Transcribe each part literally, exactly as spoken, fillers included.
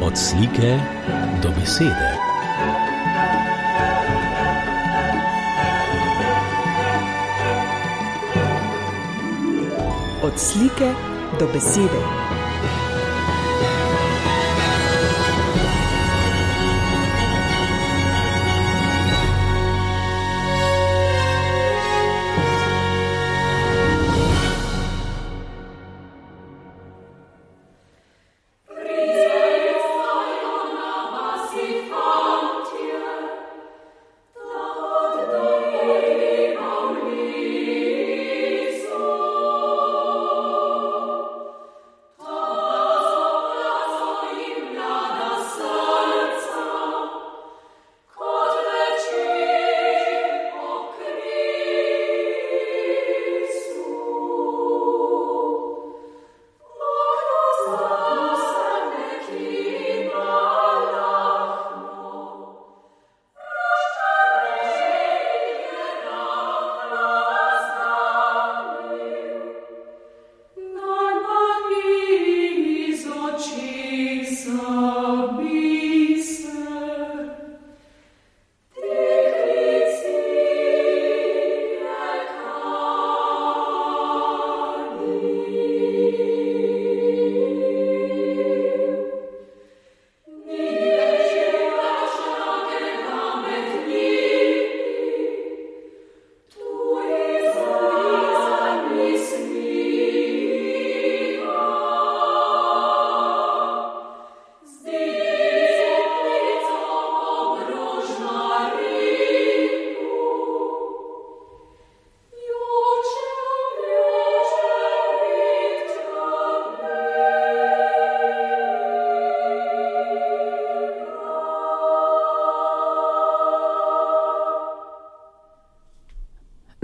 Od slike do besede. Od slike do besede.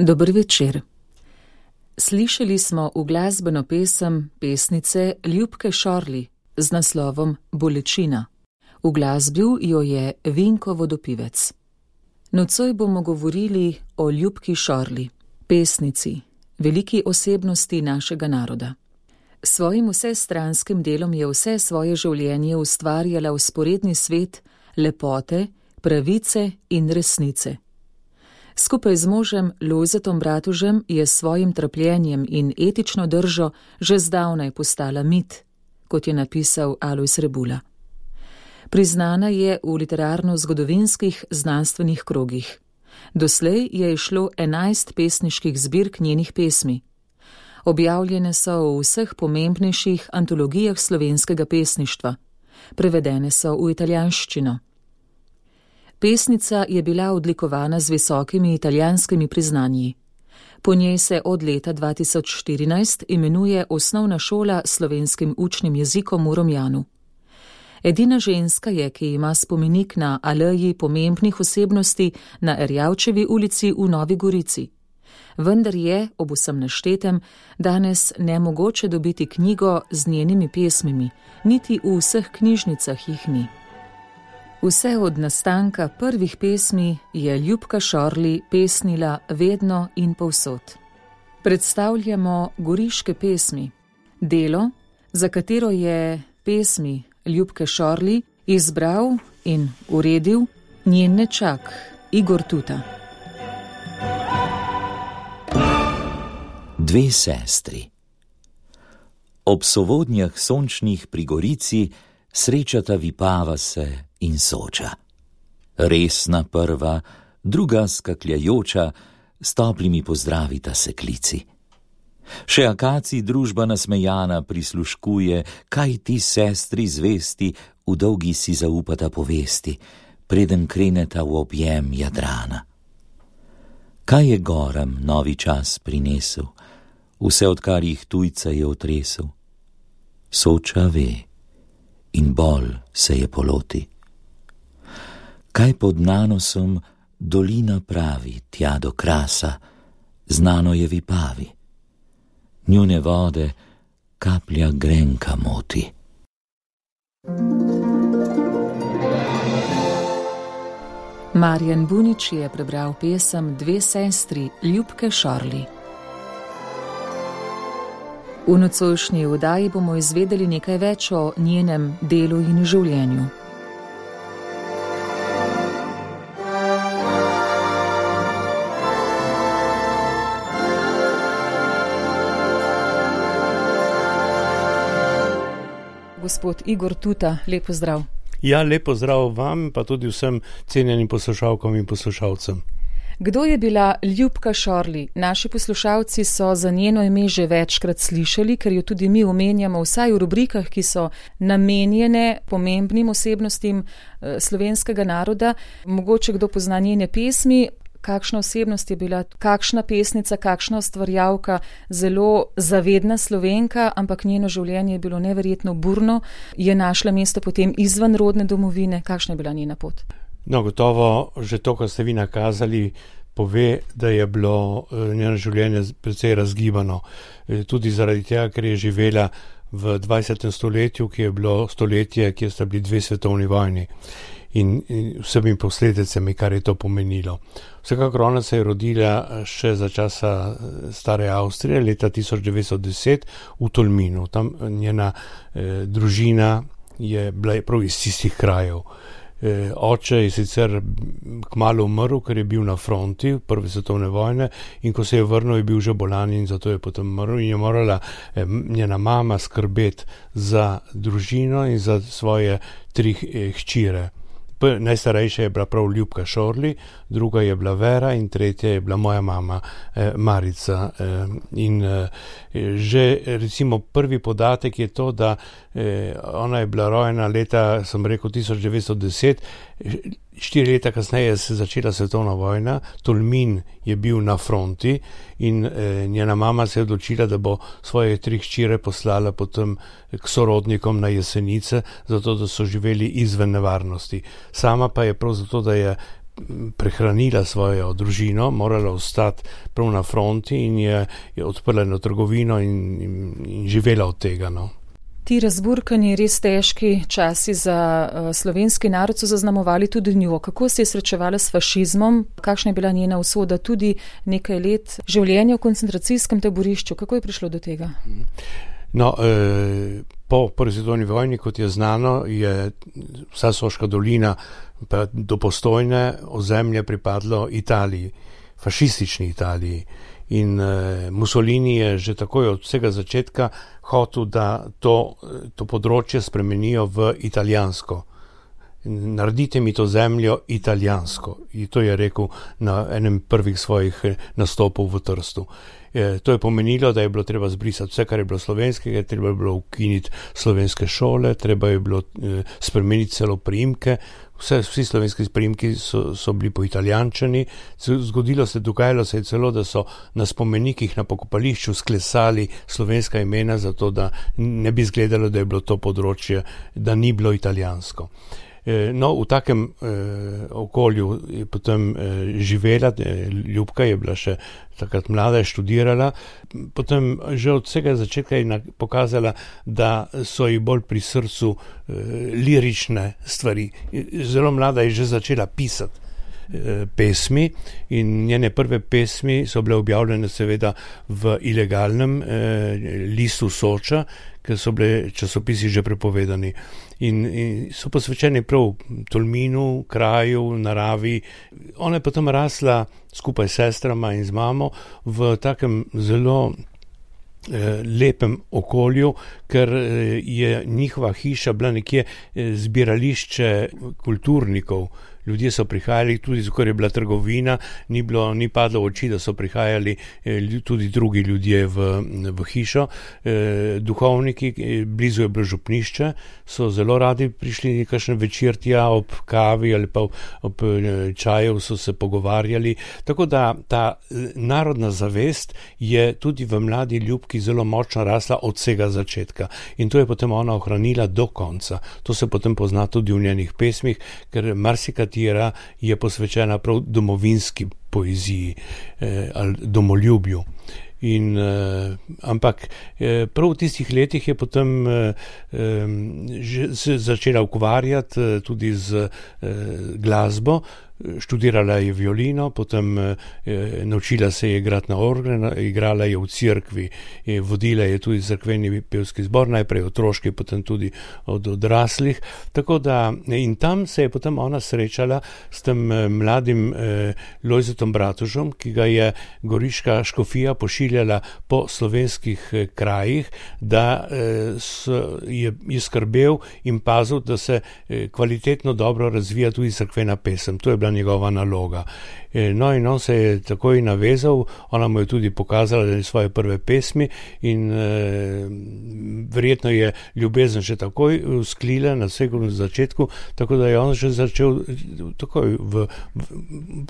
Dober večer. Slišali smo uglasbeno pesem pesnice Ljubke Šorli z naslovom Bolečina. Uglasbil jo je Vinko Vodopivec. Nocoj bomo govorili o Ljubki Šorli, pesnici, veliki osebnosti našega naroda. S svojim vsestranskim delom je vse svoje življenje ustvarjala vzporedni svet lepote, pravice in resnice. Skupaj z možem Lojzetom Bratužem je s svojim trpljenjem in etično držo že zdavnaj postala mit, kot je napisal Alojz Rebula. Priznana je v literarno-zgodovinskih znanstvenih krogih. Doslej je izšlo enajst pesniških zbirk njenih pesmi. Objavljene so v vseh pomembnejših antologijah slovenskega pesništva. Prevedene so v italijanščino. Pesnica je bila odlikovana z visokimi italijanskimi priznanji. Po njej se od leta dva tisoč štirinajst imenuje Osnovna šola s slovenskim učnim jezikom v Romjanu. Edina ženska je, ki ima spomenik na aleji pomembnih osebnosti na Erjavčevi ulici v Novi Gorici. Vendar je, ob vsem naštetem, danes nemogoče dobiti knjigo z njenimi pesmimi, niti v vseh knjižnicah jih ni. Vse od nastanka prvih pesmi je Ljubka Šorli pesnila vedno in povsod. Predstavljamo Goriške pesmi, delo, za katero je pesmi Ljubke Šorli izbral in uredil njen nečak Igor Tuta. Dve sestri. Ob sovodnjah sončnih pri Gorici srečata Vipava se in Soča. Resna prva, druga skakljajoča, s toplimi pozdravita se klici. Še akacij družba nasmejana prisluškuje, kaj ti sestri zvesti v dolgi si zaupata povesti, preden kreneta v objem Jadrana. Kaj je goram novi čas prinesel, vse odkar jih tujca je otresel? Soča ve in bolj se je poloti. Kaj pod nanosom dolina pravi, tja do Krasa, znano je Vipavi. Njune vode kaplja grenka moti. Marjan Bunič je prebral pesem Dve sestri Ljubke Šorli. V nocojšnji oddaji bomo izvedeli nekaj več o njenem delu in življenju. Gospod Igor Tuta, lep pozdrav. Ja, lep pozdrav vam, pa tudi vsem cenjenim poslušalkam in poslušalcem. Kdo je bila Ljubka Šorli? Naši poslušalci so za njeno ime že večkrat slišali, ker jo tudi mi omenjamo vsaj v rubrikah, ki so namenjene pomembnim osebnostim slovenskega naroda. Mogoče kdo pozna njene pesmi. Kakšna osebnost je bila, kakšna pesnica, kakšna ustvarjalka, zelo zavedna Slovenka, ampak njeno življenje je bilo neverjetno burno, je našla mesto potem izven rodne domovine. Kakšna je bila njena pot? No, gotovo, že to, kar ste vi nakazali, pove, da je bilo njeno življenje precej razgibano. Tudi zaradi tega, ker je živela v dvajsetem stoletju, ki je bilo stoletje, kjer sta bili dve svetovni vojni. In vsemi posledicami, kar je to pomenilo. Vsekakor ona se je rodila še za časa stare Avstrije, leta tisoč devetsto deset v Tolminu. Tam njena eh, družina je bila prav iz tistih krajev. Eh, oče je sicer kmalu umrl, ker je bil na fronti prve svetovne vojne, in ko se je vrnil, je bil že bolan in zato je potem umrl in je morala eh, njena mama skrbeti za družino in za svoje tri eh, hčire. Najstarejša je bila prav Ljubka Šorli, druga je bila Vera in tretja je bila moja mama eh, Marica. Eh, in eh, že recimo prvi podatek je to, da eh, ona je bila rojena leta, sem rekel, tisoč devetsto deset, štiri leta kasneje se je začela svetovna vojna, Tolmin je bil na fronti in eh, njena mama se je odločila, da bo svoje tri hčire poslala potem k sorodnikom na Jesenice, zato da so živeli izven nevarnosti. Sama pa je prav zato, da je prehranila svojo družino, morala ostati prav na fronti in je, je odprla eno trgovino in, in, in živela od tega. No. Ti razburkani, res težki časi za uh, slovenski narod so zaznamovali tudi njo. Kako se je srečevala s fašizmom? Kakšna je bila njena usoda? Tudi nekaj let življenja v koncentracijskem taborišču. Kako je prišlo do tega? No, eh, po prvi svetovni vojni, kot je znano, je vsa Soška dolina pa do Postojne ozemlje pripadlo Italiji, fašistični Italiji. In eh, Mussolini je že takoj od vsega začetka hotel, da to, to področje spremenijo v italijansko. Naredite mi to zemljo italijansko. In to je rekel na enem prvih svojih nastopov v Trstu. E, to je pomenilo, da je bilo treba zbrisati vse, kar je bilo slovenskega, treba je bilo ukiniti slovenske šole, treba je bilo e, spremeniti celo priimke. Vse, vsi slovenski priimki so, so bili poitalijančani. Zgodilo se, dogajalo se je celo, da so na spomenikih na pokopališču sklesali slovenska imena, zato da ne bi izgledalo, da je bilo to področje, da ni bilo italijansko. No, v takem eh, okolju je potem eh, živela, Ljubka je bila še takrat mlada, je študirala, potem že od vsega začetka je pokazala, da so ji bolj pri srcu eh, lirične stvari. Zelo mlada je že začela pisati eh, pesmi in njene prve pesmi so bile objavljene seveda v ilegalnem eh, listu Soča, ker so bile časopisi že prepovedani. In, in so posvečeni prav Tolminu, kraju, naravi. Ona je potem rasla skupaj s sestrama in z mamo v takem zelo eh, lepem okolju, ker eh, je njihova hiša bila nekje eh, zbirališče kulturnikov. Ljudje so prihajali, tudi ker je bila trgovina, ni, bilo, ni padlo v oči, da so prihajali eh, tudi drugi ljudje v, v hišo. Eh, duhovniki, blizu je bilo župnišče, so zelo radi prišli kakšen večer tja ob kavi ali pa ob, ob čaju so se pogovarjali. Tako da ta narodna zavest je tudi v mladi Ljubki zelo močno rasla od vsega začetka. In to je potem ona ohranila do konca. To se potem pozna tudi v njenih pesmih, ker marsikrat je posvečena prav domovinski poeziji eh, ali domoljubju. In, eh, ampak eh, prav v tistih letih je potem eh, že se začela ukvarjati eh, tudi z eh, glasbo. študirala je violino, potem eh, naučila se je igrati na orgle, igrala je v cerkvi, je vodila je tudi cerkveni pevski zbor, najprej otroški, potem tudi od odraslih. Tako da in tam se je potem ona srečala s tem eh, mladim eh, Lojzetom Bratužom, ki ga je goriška škofija pošiljala po slovenskih eh, krajih, da eh, so, je, je skrbel in pazil, da se eh, kvalitetno dobro razvija tudi cerkvena pesem. To je bila njegova naloga. No in on se je takoj navezal, ona mu je tudi pokazala svoje prve pesmi in eh, verjetno je ljubezen že takoj usklila na vsem začetku, tako da je on že začel takoj, v, v,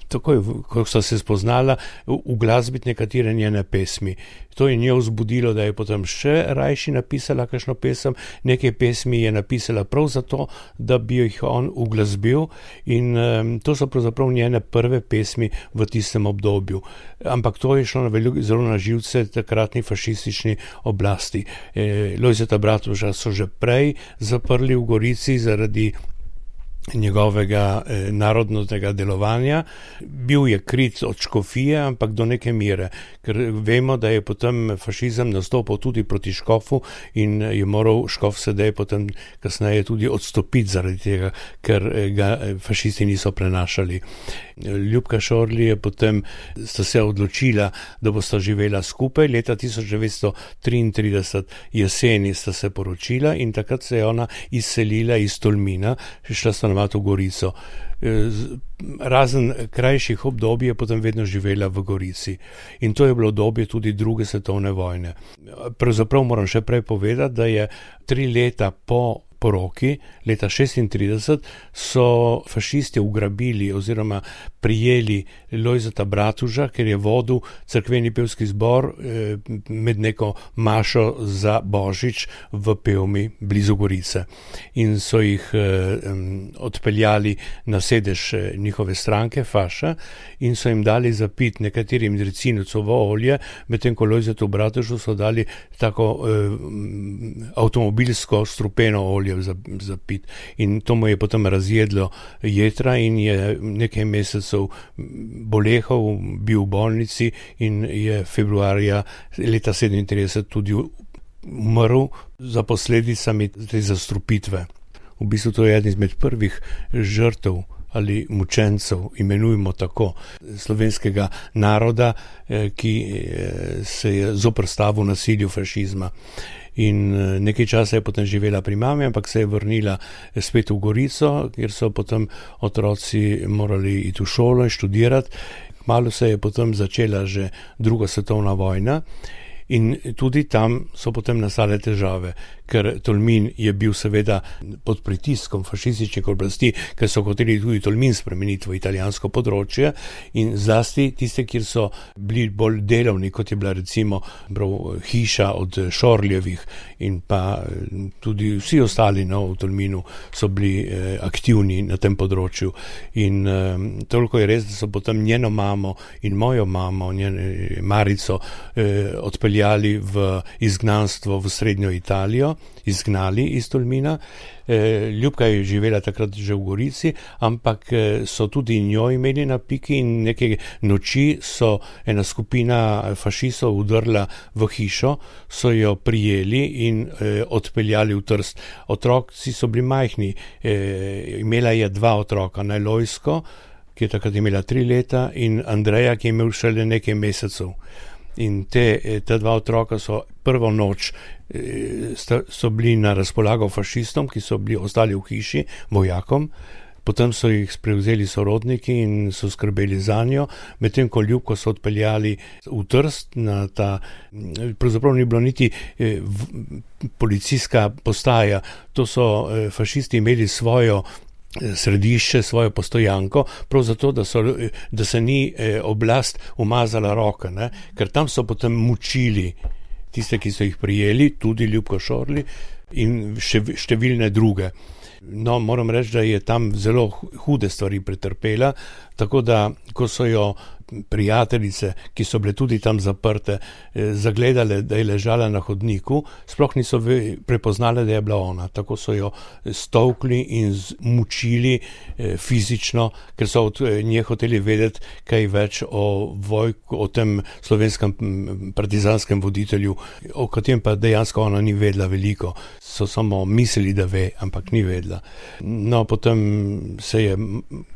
takoj v, ko so se spoznala, uglasbiti nekatere njene pesmi. To je njo vzbudilo, da je potem še rajši napisala kakšno pesem, nekaj pesmi je napisala prav zato, da bi jih on uglasbil in um, to so pravzaprav njene prve pesmi v tistem obdobju. Ampak to je šlo na veliko, zelo na živce takratni fašistični oblasti. E, Lojzeta Bratuža so že prej zaprli v Gorici zaradi njegovega eh, narodnega delovanja. Bil je krit od škofije, ampak do neke mere, ker vemo, da je potem fašizem nastopil tudi proti škofu in je moral škof sedaj potem kasneje tudi odstopiti zaradi tega, ker ga fašisti niso prenašali. Ljubka Šorli je potem sta se odločila, da bosta živela skupaj. Leta tisoč devetsto triintrideset jeseni sta se poročila in takrat se je ona izselila iz Tolmina, šla stanovati v Gorico. Razen krajših obdobij je potem vedno živela v Gorici. In to je bilo obdobje tudi druge svetovne vojne. Pravzaprav moram še prej povedati, da je tri leta po poroki, leta šestintrideset, so fašisti ugrabili oziroma prijeli Lojzeta Bratuža, ker je vodil cerkveni pevski zbor eh, med neko mašo za Božič v Pevmi blizu Gorice. In so jih eh, odpeljali na sedež njihove stranke, Faša, in so jim dali zapit nekaterim ricinucovo olje, medtem ko Lojzetu Bratužu so dali tako eh, avtomobilsko strupeno olje za, za pit. In to mu je potem razjedlo jetra in je nekaj mesecev bolehal, bil v bolnici in je februarja leta sedemintrideset tudi umrl za posledicami te zastrupitve. V bistvu to je eden izmed prvih žrtev ali mučencev, imenujemo tako, slovenskega naroda, ki se je zoprstavil nasilju fašizma. In nekaj časa je potem živela pri mami, ampak se je vrnila spet v Gorico, kjer so potem otroci morali iti v šolo in študirati. Kmalu se je potem začela že druga svetovna vojna in tudi tam so potem nastale težave, ker Tolmin je bil seveda pod pritiskom fašističnih oblasti, ker so hoteli tudi Tolmin spremeniti v italijansko področje in zlasti tiste, kjer so bili bolj delovni, kot je bila recimo prav hiša od Šorljevih in pa tudi vsi ostali no, v Tolminu so bili eh, aktivni na tem področju. In eh, toliko je res, da so potem njeno mamo in mojo mamo, njeno Marico, eh, odpeljali v izgnanstvo v srednjo Italijo, izgnali iz Tolmina. Ljubka je živela takrat že v Gorici, ampak so tudi njo imeli na piki in neke noči so ena skupina fašistov udrla v hišo, so jo prijeli in eh, odpeljali v Trst. Otroci so bili majhni, eh, imela je dva otroka, Lojzko, ki je takrat imela tri leta, in Andreja, ki je imel šele nekaj mesecev. In te, te dva otroka so prvo noč so bili na razpolago fašistom, ki so bili ostali v hiši, vojakom, potem so jih prevzeli sorodniki in so skrbeli za njo, medtem ko Ljubko so odpeljali v Trst na ta, pravzaprav ni bilo niti eh, policijska postaja, to so eh, fašisti imeli svojo središče, svojo postojanko, prav zato, da, so, da se ni eh, oblast umazala roke, ne? Ker tam so potem mučili tiste, ki so jih prijeli, tudi Ljubko Šorli in še, številne druge. No, moram reči, da je tam zelo hude stvari pretrpela, tako da, ko so jo prijateljice, ki so bile tudi tam zaprte, zagledale, da je ležala na hodniku, sploh niso prepoznale, da je bila ona. Tako so jo stolkli in mučili fizično, ker so od nje hoteli vedeti kaj več o Vojku, o tem slovenskem partizanskem voditelju, o katerem pa dejansko ona ni vedela veliko. So samo mislili, da ve, ampak ni vedela. No, potem se je,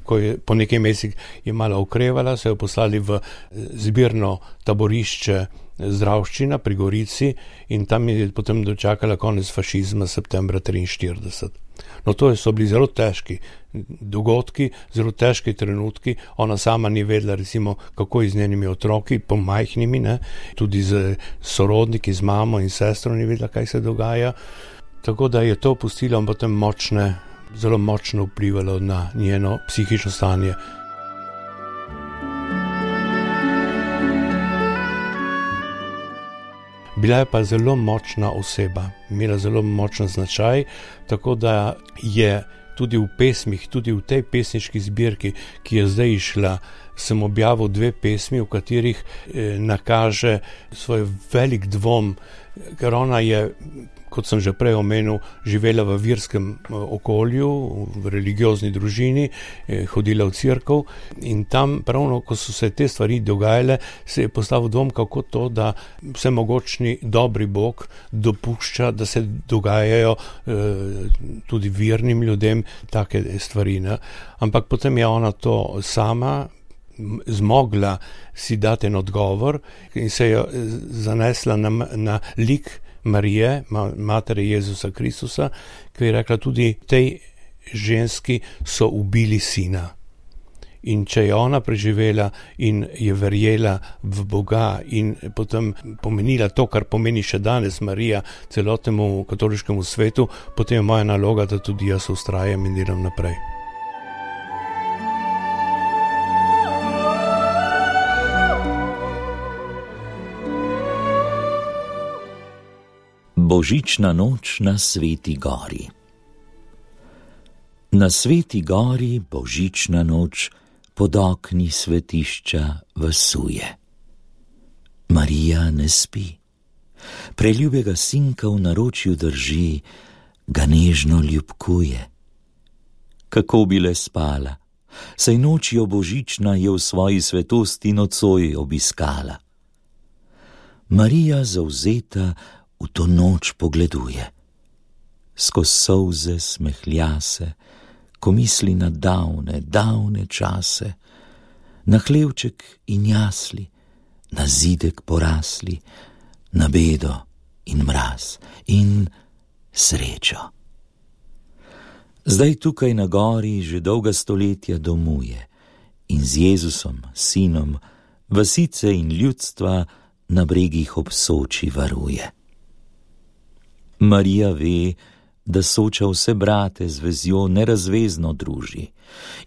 ko je po nekaj mesecih je malo okrevala, se je poslali v zbirno taborišče Zdravščina pri Gorici in tam je potem dočakala konec fašizma septembra triinštirideset. No, to so bili zelo težki dogodki, zelo težki trenutki. Ona sama ni vedela, recimo, kako je z njenimi otroki, pomajhnimi, ne? Tudi z sorodniki, z mamo in sestro ni vedela, kaj se dogaja. Tako da je to pustilo potem močne, zelo močno vplivalo na njeno psihično stanje. Bila je pa zelo močna oseba, imela zelo močen značaj, tako da je tudi v pesmih, tudi v tej pesniški zbirki, ki je zdaj išla, sem objavil dve pesmi, v katerih eh, nakaže svoj velik dvom, ker ona je, kot sem že prej omenil, živela v verskem okolju, v religiozni družini, hodila v cerkev in tam pravno, ko so se te stvari dogajale, se je postavil dvom, kako to, da vsemogočni dobri Bog dopušča, da se dogajajo eh, tudi vernim ljudem take stvari. Ne? Ampak potem je ona to sama zmogla si dati en odgovor in se je zanesla na, na lik Marije, matere Jezusa Kristusa, ki je rekla, tudi tej ženski so ubili sina. In če je ona preživela in je verjela v Boga in potem pomenila to, kar pomeni še danes Marija celotnemu katoliškemu svetu, potem je moja naloga, da tudi jaz vztrajam in delam naprej. Božična noč na Sveti gori. Na Sveti gori božična noč pod okni svetišča vasuje. Marija ne spi, preljubega sinka v naročju drži, ga nežno ljubkuje. Kako bi le spala, saj nočjo božična je v svoji svetosti nocoj obiskala. Marija zavzeta v to noč pogleduje, skoz solze smehlja se, ko misli na davne, davne čase, na hlevček in jasli, na zidek porasli, na bedo in mraz in srečo. Zdaj tukaj na gori že dolga stoletja domuje in z Jezusom, sinom, vasice in ljudstva na bregih ob Soči varuje. Marija ve, da Soča vse brate z vezjo nerazvezno druži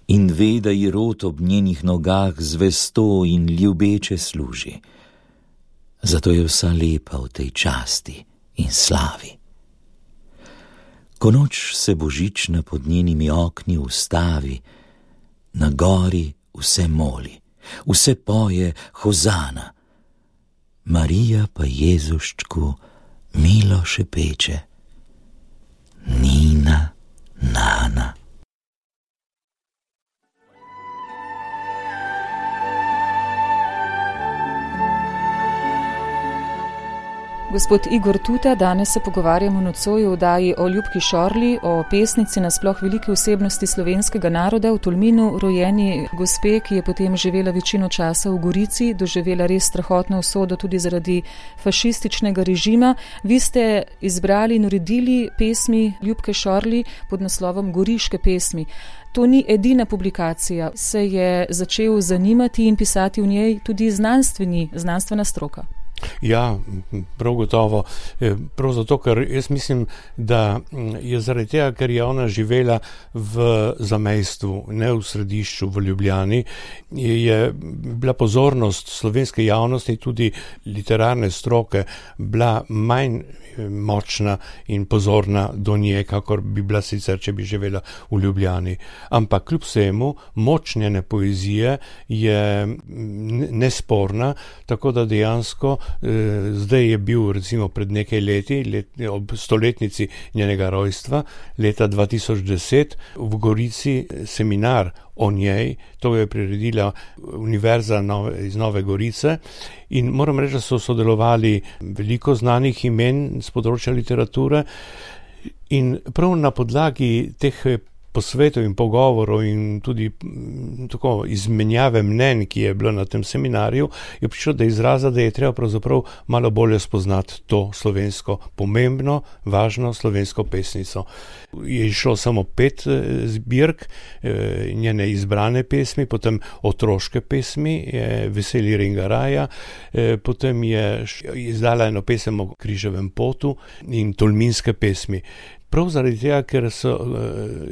in ve, da ji rod ob njenih nogah zvesto in ljubeče služi. Zato je vsa lepa v tej časti in slavi. Ko noč se božična pod njenimi okni ustavi, na gori vse moli, vse poje hozana. Marija pa Jezuščku milo šepeče, Nina, Nana. Gospod Igor Tuta, danes se pogovarjamo nocoj v oddaji o Ljubki Šorli, o pesnici, nasploh veliki osebnosti slovenskega naroda, v Tolminu rojeni gospe, ki je potem živela večino časa v Gorici, doživela res strahotno usodo tudi zaradi fašističnega režima. Vi ste izbrali in uredili pesmi Ljubke Šorli pod naslovom Goriške pesmi. To ni edina publikacija, se je začel zanimati in pisati v njej tudi znanstveni, znanstvena stroka. Ja, prav gotovo. Prav zato, ker jaz mislim, da je zaradi tega, ker je ona živela v zamejstvu, ne v središču, v Ljubljani, je bila pozornost slovenske javnosti, tudi literarne stroke, bila manj močna in pozorna do nje, kakor bi bila sicer, če bi živela v Ljubljani. Ampak kljub vsemu, moč njene poezije je nesporna, tako da dejansko eh, zdaj je bil recimo pred nekaj leti, let, ob stoletnici njenega rojstva, leta dva tisoč deset, v Gorici seminar o njej, to je priredila Univerza Nove, iz Nove Gorice, in moram reči, da so sodelovali veliko znanih imen z področja literature, in prav na podlagi teh posvetov in pogovorov in tudi tako izmenjave mnenj, ki je bilo na tem seminarju, je prišlo do izraza, da je treba pravzaprav malo bolje spoznati to slovensko, pomembno, važno slovensko pesnico. Je išlo samo pet zbirk, njene izbrane pesmi, potem otroške pesmi, Veseli Ringaraja, potem je izdala eno pesem o križevem potu in tolminske pesmi. Prav zaradi tega, ker so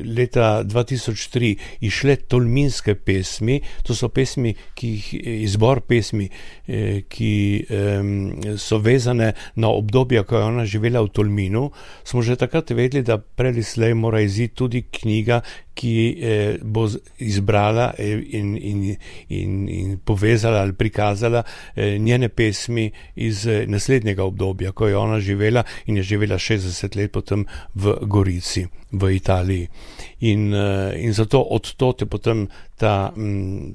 leta dva tisoč tri išle tolminske pesmi, to so pesmi, ki jih, izbor pesmi, ki so vezane na obdobje, ko je ona živela v Tolminu, smo že takrat vedeli, da prej slej mora iziti tudi knjiga, ki bo izbrala in, in, in, in povezala ali prikazala njene pesmi iz naslednjega obdobja, ko je ona živela in je živela šestdeset let potem v Gorici, v Italiji. In, in zato od tote potem ta,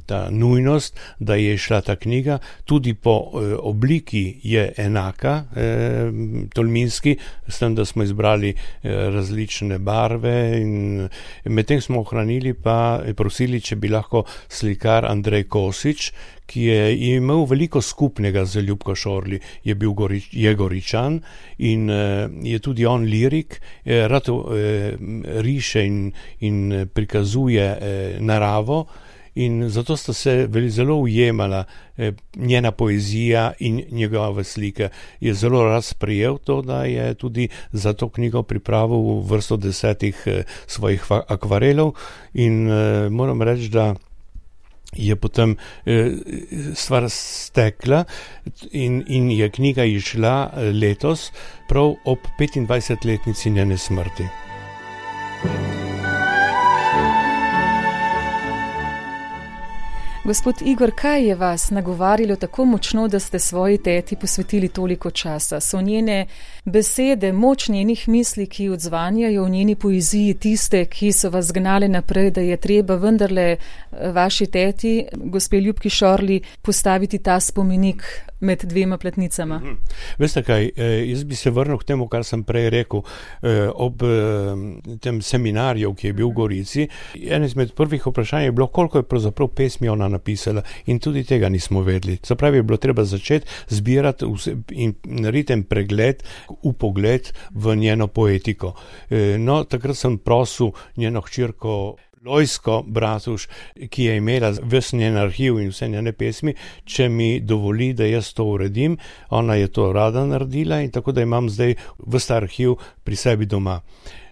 ta nujnost, da je šla ta knjiga, tudi po obliki je enaka eh, tolminski, s tem, da smo izbrali različne barve in medtem smo ohranili pa prosili, če bi lahko slikar Andrej Kosič, ki je imel veliko skupnega z Ljubko Šorli, je bil Gorič, je Goričan in uh, je tudi on lirik, eh, rad uh, riše in, in prikazuje eh, naravo in zato sta se zelo ujemala eh, njena poezija in njegove slike. Je zelo rad sprejel to, da je tudi za to knjigo pripravil vrsto desetih eh, svojih akvarelov in eh, moram reči, da je potem eh, stvar stekla in, in je knjiga išla letos prav ob petindvajsetletnici njene smrti. Gospod Igor, kaj je vas nagovarjalo tako močno, da ste svoji teti posvetili toliko časa? So njene besede, moč njenih misli, ki odzvanjajo v njeni poeziji, tiste, ki so vas gnale naprej, da je treba vendarle vaši teti, gospe Ljubki Šorli, postaviti ta spomenik med dvema platnicama? Hmm. Veste kaj, jaz bi se vrnil k temu, kar sem prej rekel, ob tem seminarju, ki je bil v Gorici. En izmed prvih vprašanj je bilo, koliko je pravzaprav pesmi ona napisala in tudi tega nismo vedeli. Se pravi, je bilo treba začeti zbirati in narediti en pregled, upogled v njeno poetiko. No, takrat sem prosil njeno hčerko Lojsko Bratuš, ki je imela ves njen arhiv in vse njene pesmi, če mi dovoli, da jaz to uredim. Ona je to rada naredila in tako da imam zdaj ves ta arhiv pri sebi doma.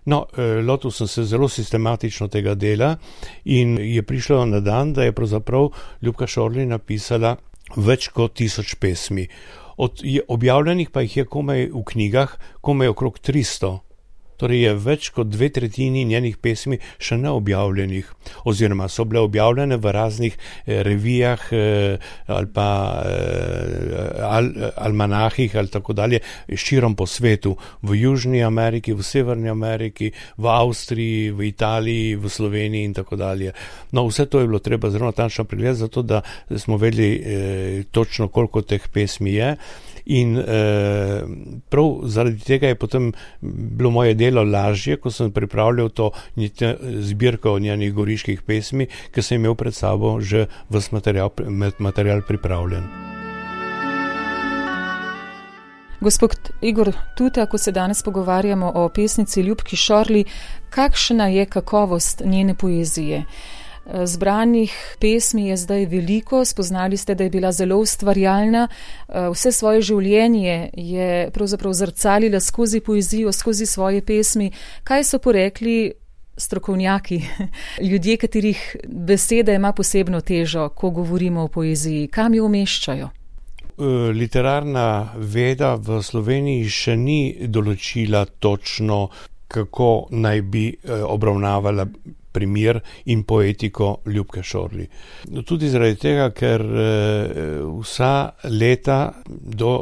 No, lotil sem se zelo sistematično tega dela in je prišlo na dan, da je pravzaprav Ljubka Šorli napisala več kot tisoč pesmi. Od objavljenih pa jih je komaj v knjigah, komaj okrog tristo. Torej je več kot dve tretjini njenih pesmi še neobjavljenih, oziroma so bile objavljene v raznih eh, revijah eh, ali pa eh, al, almanahih ali tako dalje, širom po svetu, v Južni Ameriki, v Severni Ameriki, v Avstriji, v Italiji, v Sloveniji in tako dalje. No, vse to je bilo treba zelo natančno pregledati, zato da smo vedeli eh, točno, koliko teh pesmi je. In eh, prav zaradi tega je potem bilo moje delo lažje, ko sem pripravljal to zbirko njenih goriških pesmi, ker sem imel pred sabo že ves material, material pripravljen. Gospod Igor, tudi ako se danes pogovarjamo o pesnici Ljubki Šorli, kakšna je kakovost njene poezije? Zbranih pesmi je zdaj veliko, spoznali ste, da je bila zelo ustvarjalna. Vse svoje življenje je pravzaprav zrcalila skozi poezijo, skozi svoje pesmi. Kaj so porekli strokovnjaki, ljudje, katerih beseda ima posebno težo, ko govorimo o poeziji? Kam jo umeščajo? Literarna veda v Sloveniji še ni določila točno, kako naj bi obravnavala primer in poetiko Ljubke Šorli. Tudi zaradi tega, ker vsa leta do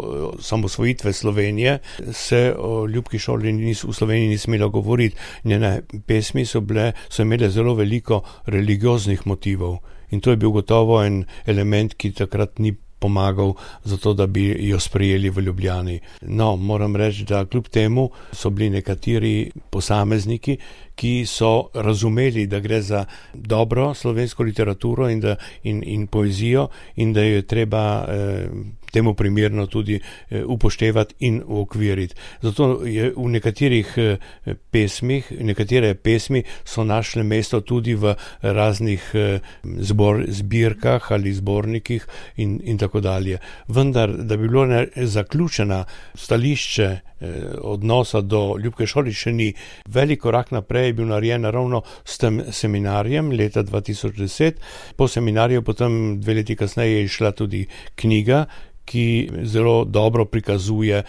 samosvojitve Slovenije se o Ljubki Šorli v Sloveniji ni smelo govoriti. Njene pesmi so bile, so imele zelo veliko religioznih motivov in to je bil gotovo en element, ki takrat ni pomagal za to, da bi jo sprejeli v Ljubljani. No, moram reči, da kljub temu so bili nekateri posamezniki, ki so razumeli, da gre za dobro slovensko literaturo in, da, in, in poezijo in da jo je treba eh, temu primerno tudi eh, upoštevati in uokviriti. Zato je v nekaterih eh, pesmih, nekatere pesmi so našle mesto tudi v raznih eh, zbor, zbirkah ali zbornikih in, in tako dalje. Vendar, da bi bilo ne, zaključena stališče odnosa do Ljubke Šorli še ni. Velik korak naprej je bil narejen ravno s tem seminarjem leta dva tisoč deset. Po seminarju potem dve leti kasneje je išla tudi knjiga, ki zelo dobro prikazuje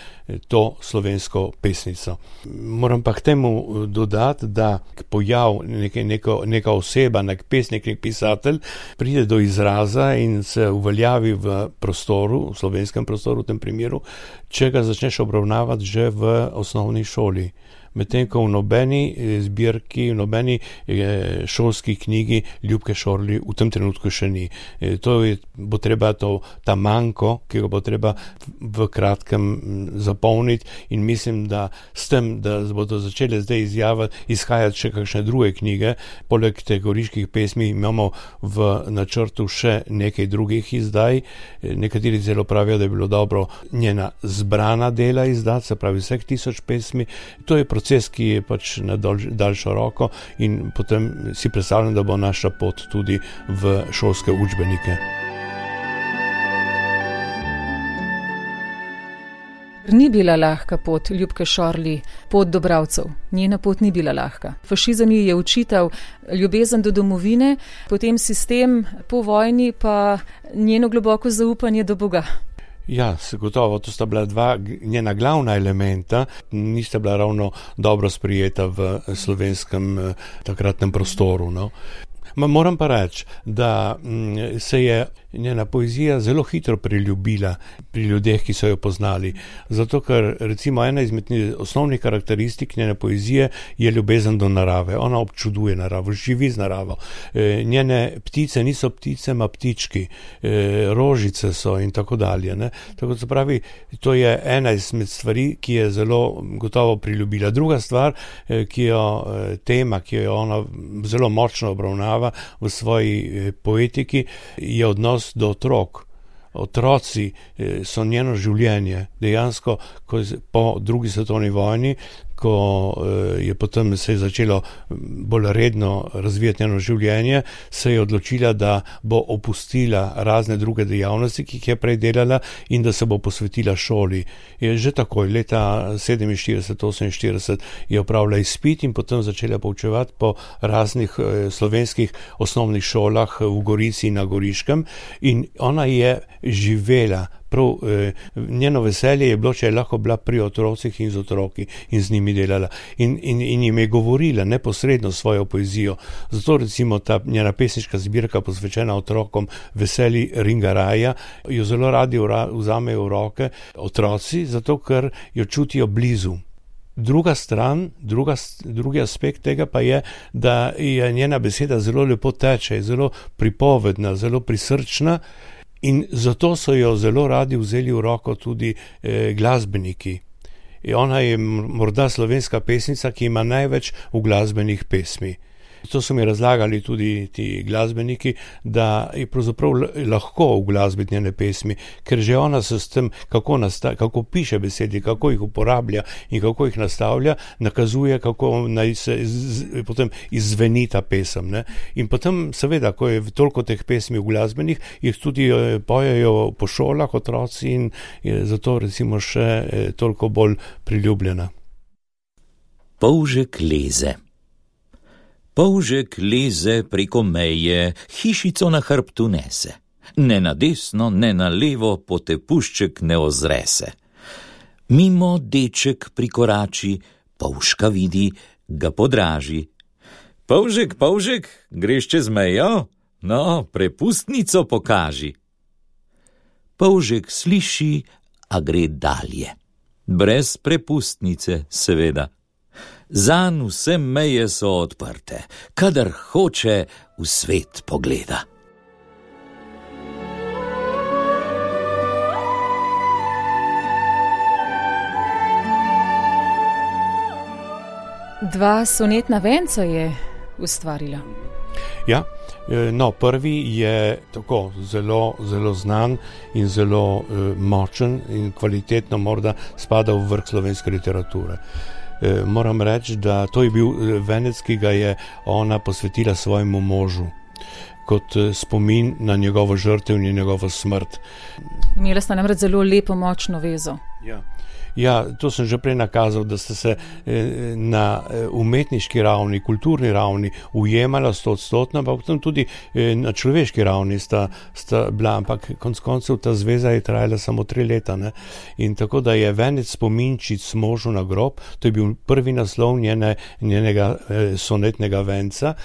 to slovensko pesnico. Moram pa k temu dodati, da pojav neke, neko, neka oseba, nek pesnik, nek pisatelj pride do izraza in se uveljavi v prostoru, v slovenskem prostoru v tem primeru, če ga začneš obravnavati že v osnovni šoli. Medtem ko v nobeni zbirki, v nobeni šolski knjigi Ljubke Šorli v tem trenutku še ni. To je, bo treba to, ta manko, ki ga bo treba v kratkem zapolniti in mislim, da s tem, da bodo začele zdaj izjavati, izhajati še kakšne druge knjige, poleg te goriških pesmi imamo v načrtu še nekaj drugih izdaj. Nekateri celo pravijo, da je bilo dobro njena zbrana dela izdati, se pravi vseh tisoč pesmi. To je proces, ki je pač na dolž, daljšo roko in potem si predstavljam, da bo naša pot tudi v šolske učbenike. Ni bila lahka pot Ljubke Šorli, pot do bralcev. Njena pot ni bila lahka. Fašizem ji je učital ljubezen do domovine, potem sistem po vojni pa njeno globoko zaupanje do Boga. Ja, gotovo, to sta bila dva njena glavna elementa, nista bila ravno dobro sprijeta v slovenskem takratnem prostoru. No. Ma moram pa reči, da se je njena poezija zelo hitro priljubila pri ljudeh, ki so jo poznali. Zato, ker recimo ena izmed osnovnih karakteristik njene poezije je ljubezen do narave. Ona občuduje naravo, živi z naravo. E, njene ptice niso ptice, ma ptički. E, rožice so in tako dalje. Ne? Tako se pravi, to je ena izmed stvari, ki je zelo gotovo priljubila. Druga stvar, ki jo tema, ki jo ona zelo močno obravnava v svoji poetiki, je odnos do otrok. Otroci so njeno življenje. Dejansko, ko po drugi svetovni vojni, ko je potem se je začelo bolj redno razvijati njeno življenje, se je odločila, da bo opustila razne druge dejavnosti, ki jih je prej delala in da se bo posvetila šoli. Je že takoj, leta sedeminštirideset oseminštirideset je opravila izpit in potem začela poučevati po raznih slovenskih osnovnih šolah v Gorici in na Goriškem in ona je živela. Prav, eh, njeno veselje je bilo, če je lahko bila pri otrocih in z otroki in z njimi delala. In, in, in jim je govorila neposredno svojo poezijo. Zato recimo ta njena pesniška zbirka posvečena otrokom Veseli Ringaraja jo zelo radi vzamejo v roke otroci, zato ker jo čutijo blizu. Druga stran, druga, drugi aspekt tega pa je, da je njena beseda zelo lepo teče, zelo pripovedna, zelo prisrčna. In zato so jo zelo radi vzeli v roko tudi eh, glasbeniki. In ona je morda slovenska pesnica, ki ima največ uglasbenih pesmi. To so mi razlagali tudi ti glasbeniki, da je pravzaprav lahko uglasbiti njene pesmi, ker že ona se s tem, kako, nasta, kako piše besedi, kako jih uporablja in kako jih nastavlja, nakazuje, kako naj se iz, potem izzveni ta pesem. Ne? In potem seveda, ko je toliko teh pesmi uglasbenih, jih tudi pojejo po šolah otroci in je zato recimo še toliko bolj priljubljena. Polžek leze. Polžek leze preko meje, hišico na hrbtu nese. Ne na desno, ne na levo, potepušček ne ozre se. Mimo deček prikorači, polžka vidi, ga podraži. Polžek, polžek, greš čez mejo? No, prepustnico pokaži. Polžek sliši, a gre dalje. Brez prepustnice, seveda. Zanj vse meje so odprte, kadar hoče v svet pogleda. Dva sonetna venca je ustvarila. Ja, no, prvi je tako zelo, zelo znan in zelo eh, močen in kvalitetno morda spada v vrh slovenske literature. Moram reči, da to je bil venec, ki ga je ona posvetila svojemu možu, kot spomin na njegovo žrtev in njegovo smrt. Imela sta namreč zelo lepo, močno vezo. Ja. Ja, to sem že prej nakazal, da ste se na umetniški ravni, kulturni ravni ujemala stotstotno, ampak potem tudi na človeški ravni sta, sta bila, ampak konc koncev ta zveza je trajala samo tri leta. Ne? In tako da je venec spominčic možu na grob, to je bil prvi naslov njene, njenega sonetnega venca,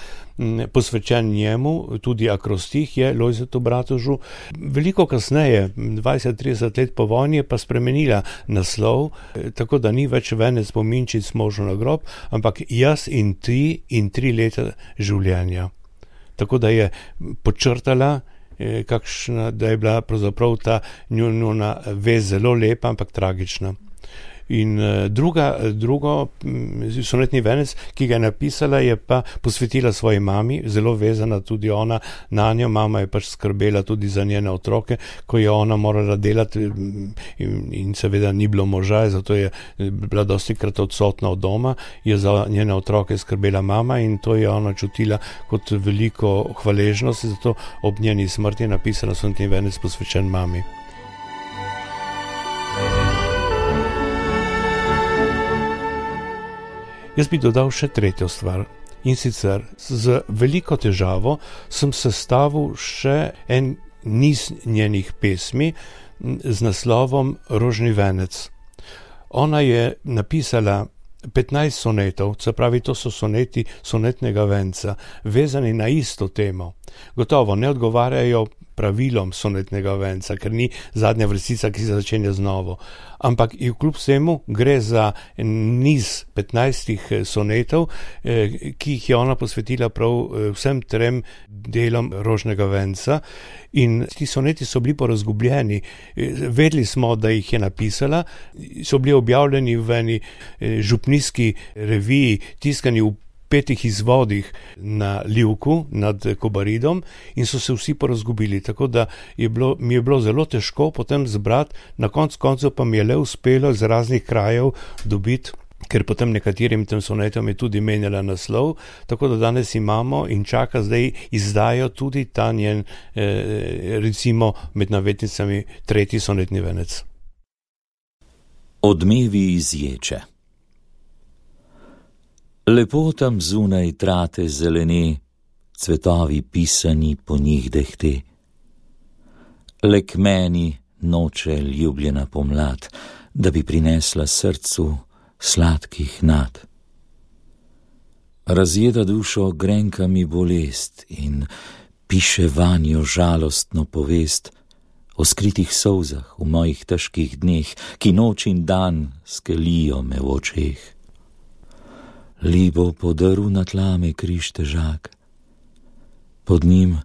posvečen njemu, tudi akrostih je Lojzetu Bratožu. Veliko kasneje, dvajset trideset let po vojni, je pa spremenila naslov, tako da ni več venec spominčic možu na grob, ampak jaz in ti in tri leta življenja. Tako da je podčrtala, kakšna, da je bila pravzaprav ta njuna vez zelo lepa, ampak tragična. In druga, drugo sonetni venec, ki ga je napisala, je pa posvetila svoji mami, zelo vezana tudi ona na njo. Mama je pač skrbela tudi za njene otroke, ko je ona morala delati in, in seveda ni bilo moža, zato je bila dostikrat odsotna od doma, je za njene otroke skrbela mama in to je ona čutila kot veliko hvaležnost, zato ob njeni smrti je napisala sonetni venec posvečen mami. Jaz bi dodal še tretjo stvar in sicer z veliko težavo sem sestavil še en niz njenih pesmi z naslovom Rožni venec. Ona je napisala petnajst sonetov, se pravi, to so soneti sonetnega venca, vezani na isto temo. Gotovo ne odgovarjajo pravilom sonetnega venca, ker ni zadnja vrstica, ki se začenja z novo. Ampak kljub vsemu gre za niz petnajstih sonetov, ki jih je ona posvetila prav vsem trem delom Rožnega venca. In ti soneti so bili porazgubljeni. Vedeli smo, da jih je napisala, so bili objavljeni v eni župnijski reviji, tiskani v petih izvodih na Livku nad Kobaridom in so se vsi porazgubili, tako da je bilo, mi je bilo zelo težko potem zbrati, na konc koncev pa mi je le uspelo iz raznih krajev dobiti, ker potem nekaterim tem sonetom je tudi menjala naslov, tako da danes imamo in čaka zdaj izdajo tudi ta njen, eh, recimo med navetnicami, tretji sonetni venec. Odmevi iz ječe. Lepo tam zunaj trate zelene, cvetovi pisani po njih dehte. Le k meni noče ljubljena pomlad, da bi prinesla srcu sladkih nad. Razjeda dušo grenka mi bolest in piše vanjo žalostno povest o skritih solzah v mojih težkih dneh, ki noč in dan skelijo me v očeh. Libo podrl na tlame križ težak, pod njim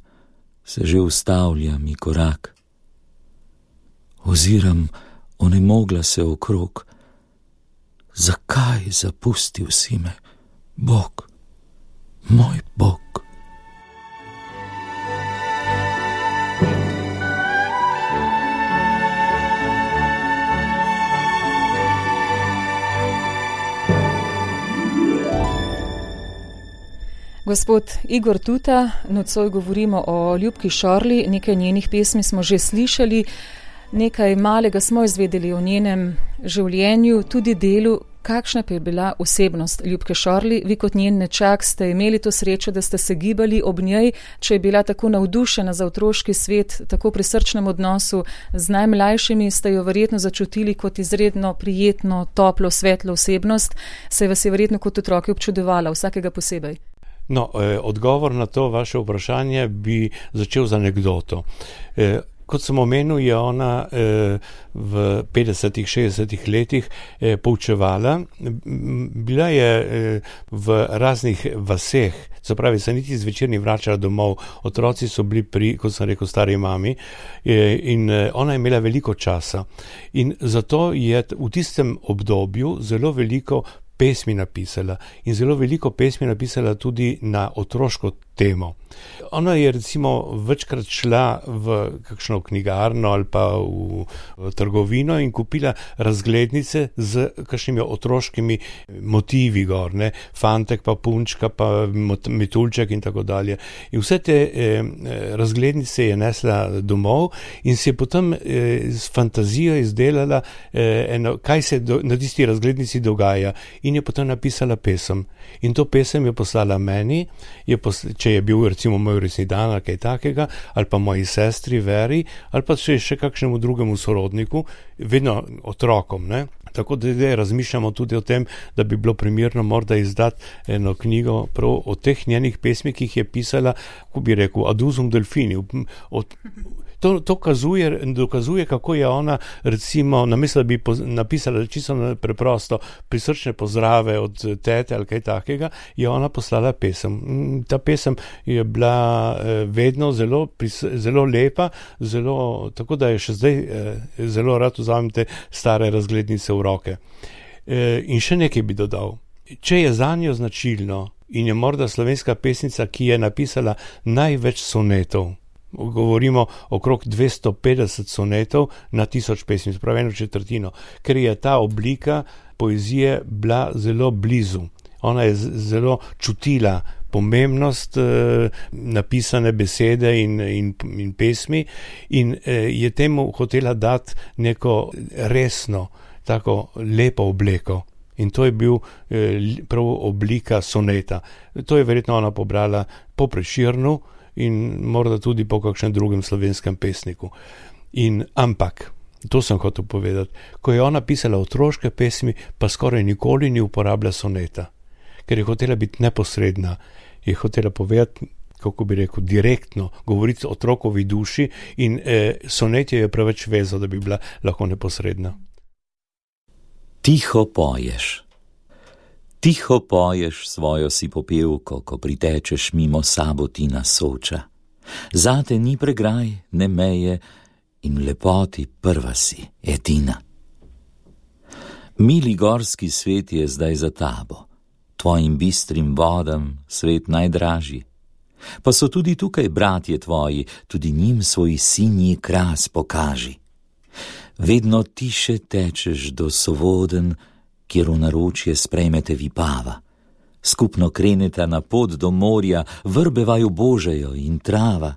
se že ustavlja mi korak. Oziram onemogla se okrog, zakaj zapustil si me, Bog? moj Bog. Gospod Igor Tuta, nocoj govorimo o Ljubki Šorli, nekaj njenih pesmi smo že slišali, nekaj malega smo izvedeli o njenem življenju, tudi delu. Kakšna pa je bila osebnost Ljubke Šorli? Vi kot njen nečak ste imeli to srečo, da ste se gibali ob njej, če je bila tako navdušena za otroški svet, tako pri srčnem odnosu z najmlajšimi, ste jo verjetno začutili kot izredno prijetno, toplo, svetlo osebnost, se vas je verjetno kot otroke občudovala, vsakega posebej. No, eh, odgovor na to vaše vprašanje bi začel z anekdoto. Eh, kot sem omenil, je ona eh, v petdesetih, šestdesetih letih eh, poučevala. Bila je eh, v raznih vaseh, se pravi, se niti zvečer ni vračala domov, otroci so bili pri, kot sem rekel, stari mami eh, in eh, ona je imela veliko časa. In zato je v tistem obdobju zelo veliko pesmi napisala in zelo veliko pesmi napisala tudi na otroško temo. Ona je recimo večkrat šla v kakšno knjigarno ali pa v, v trgovino in kupila razglednice z kakšnimi otroškimi motivi gor, ne, fantek pa punčka pa metuljček in tako dalje. In vse te eh, razglednice je nesla domov in si je potem eh, s fantazijo izdelala eh, eno, kaj se do, na tisti razglednici dogaja in je potem napisala pesem. In to pesem je poslala meni, je posla, če je bil recimo moj resni dan ali kaj takega, ali pa moji sestri Veri, ali pa še, še kakšnemu drugemu sorodniku, vedno otrokom, ne. Tako da zdaj razmišljamo tudi o tem, da bi bilo primerno morda izdati eno knjigo prav o teh njenih pesmih, ki jih je pisala, kako bi rekel, ad usum delfini. Od, to, to kazuje, dokazuje, kako je ona recimo, namesto da bi poz, napisala čisto preprosto prisrčne pozdrave od tete ali kaj takega, je ona poslala pesem. Ta pesem je bila eh, vedno zelo, pris, zelo lepa, zelo, tako da je še zdaj eh, zelo rad vzamem te stare razglednice v roke. E, in še nekaj bi dodal. Če je zanjo značilno in je morda slovenska pesnica, ki je napisala največ sonetov, govorimo okrog dvesto petdeset sonetov na tisoč pesmi, spravi eno četrtino, ker je ta oblika poezije bila zelo blizu. Ona je zelo čutila pomembnost eh, napisane besede in, in, in pesmi in eh, je temu hotela dati neko resno, tako lepo obleko. In to je bil eh, prav oblika soneta. To je verjetno ona pobrala po Prešernu in morda tudi po kakšnem drugem slovenskem pesniku. In ampak, to sem hotel povedati, ko je ona pisala otroške pesmi, pa skoraj nikoli ni uporabljala soneta, ker je hotela biti neposredna, je hotela povedati, kako bi rekel, direktno, govoriti o otrokovi duši in eh, sonet je preveč vezal, da bi bila lahko neposredna. Tiho poješ. Tiho poješ svojo si popevko, ko pritečeš mimo Sabotina Soča. Zate ni pregraj, ne meje in v lepoti prva si, edina. Mili gorski svet je zdaj za tabo, tvojim bistrim vodam svet najdražji. Pa so tudi tukaj bratje tvoji, tudi njim svoj sinji kras pokaži. Vedno tiše tečeš do Sovoden, kjer v naročje sprejmete Vipava. Skupno kreneta na pot do morja, vrbe vaju božejo in trava.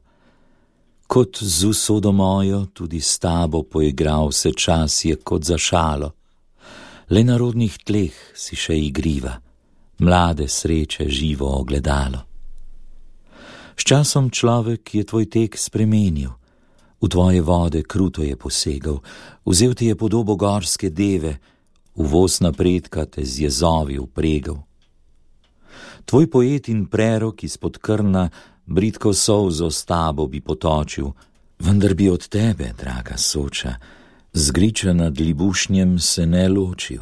Kot z usodo mojo, tudi s tabo poigral se čas je kot za šalo. Le na rodnih tleh si še igriva, mlade sreče živo ogledalo. S časom človek je tvoj tek spremenil, v tvoje vode kruto je posegal, vzel ti je podobo gorske deve, v voz napredka te z jezovi upregal. Tvoj poet in prerok izpod krna bridko solzo s tabo bi potočil, vendar bi od tebe, draga Soča, zgriča nad Libušnjem se ne ločil.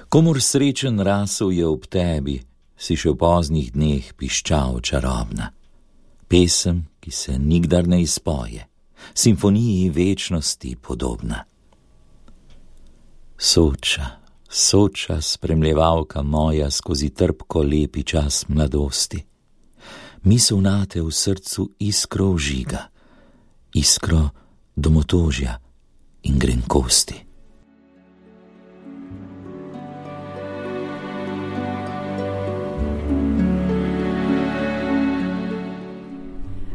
Komur srečen rasel je ob tebi, si še v poznih dneh piščal čarobna. Pesem, ki se nikdar ne izpoje, simfoniji večnosti podobna. Soča, Soča, spremljevalka moja skozi trpko lepi čas mladosti. Misel nate v srcu iskro vžiga, iskro domotožja in grenkosti.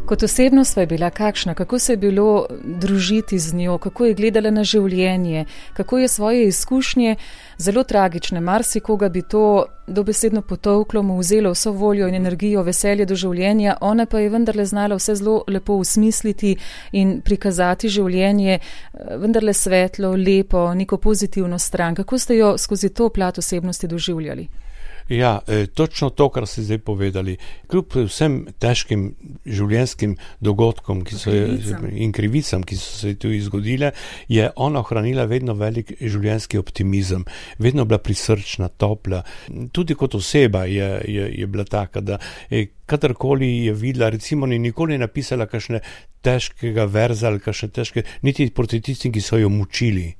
Kot osebnost je bila kakšna, kako se je bilo družiti z njo, kako je gledala na življenje, kako je svoje izkušnje, zelo tragične, marsikoga bi to dobesedno potolklo, mu vzelo vso voljo in energijo, veselje do življenja, ona pa je vendarle znala vse zelo lepo usmisliti in prikazati življenje, vendarle svetlo, lepo, neko pozitivno stran. Kako ste jo skozi to plat osebnosti doživljali? Ja, točno to, kar ste zdaj povedali. Kljub vsem težkim življenjskim dogodkom ki so, in krivicam, ki so se tu izgodile, je ona ohranila vedno velik življenjski optimizem. Vedno bila prisrčna, topla. Tudi kot oseba je, je, je bila taka, da kadarkoli je videla, recimo ni nikoli napisala kakšne težkega verza ali kakšne težke, niti proti tistim, ki so jo mučili.